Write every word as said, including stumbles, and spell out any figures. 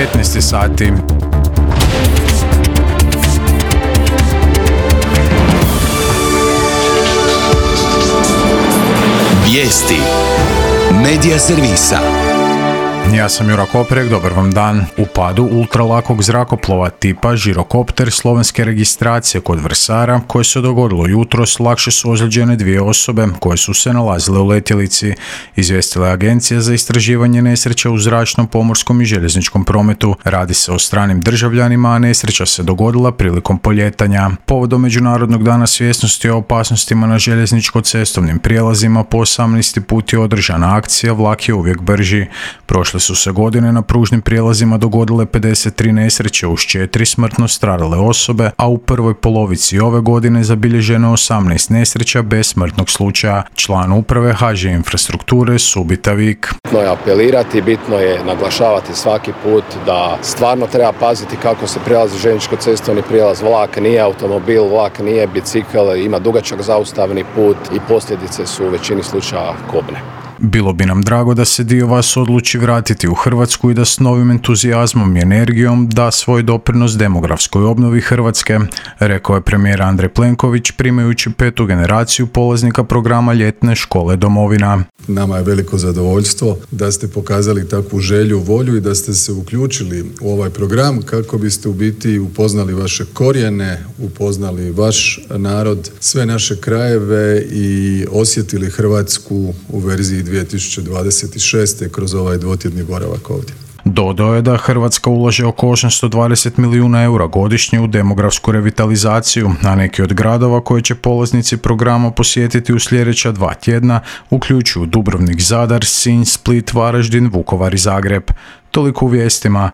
petnaest sati. Vijesti Medija servisa. Ja sam Jura Koprek, dobar vam dan. U padu ultralakog zrakoplova tipa žirokopter slovenske registracije kod Vrsara, koje se dogodilo jutros, lakše su ozlijeđene dvije osobe koje su se nalazile u letjelici, izvijestila je Agencija za istraživanje nesreća u zračnom, pomorskom i željezničkom prometu. Radi se o stranim državljanima, a nesreća se dogodila prilikom poljetanja. Povodom Međunarodnog dana svjesnosti o opasnostima na željezničko-cestovnim prijelazima po osamnaesti put je održana akcija Vlak je uvijek brži. Prošle su se godine na pružnim prijelazima dogodile pedeset tri nesreće uz četiri smrtno stradale osobe, a u prvoj polovici ove godine zabilježeno osamnaest nesreća bez smrtnog slučaja. Član uprave ha že Infrastrukture Subita Vik. Bitno je apelirati, bitno je naglašavati svaki put da stvarno treba paziti kako se prelazi željezničko-cestovni prijelaz. Vlak nije automobil, vlak nije bicikl, ima dugačak zaustavni put i posljedice su u većini slučaja kobne. Bilo bi nam drago da se dio vas odluči vratiti u Hrvatsku i da s novim entuzijazmom i energijom da svoj doprinos demografskoj obnovi Hrvatske, rekao je premijer Andrej Plenković primajući petu generaciju polaznika programa Ljetne škole domovina. Nama je veliko zadovoljstvo da ste pokazali takvu želju, volju i da ste se uključili u ovaj program kako biste u biti upoznali vaše korijene, upoznali vaš narod, sve naše krajeve i osjetili Hrvatsku u verziji dvije tisuće dvadeset šeste kroz ovaj dvotjedni boravak ovdje. Dodao je da Hrvatska ulaže oko osamsto dvadeset milijuna eura godišnje u demografsku revitalizaciju, a neki od gradova koje će polaznici programa posjetiti u sljedeća dva tjedna uključuju Dubrovnik, Zadar, Sinj, Split, Varaždin, Vukovar i Zagreb. Toliko u vijestima.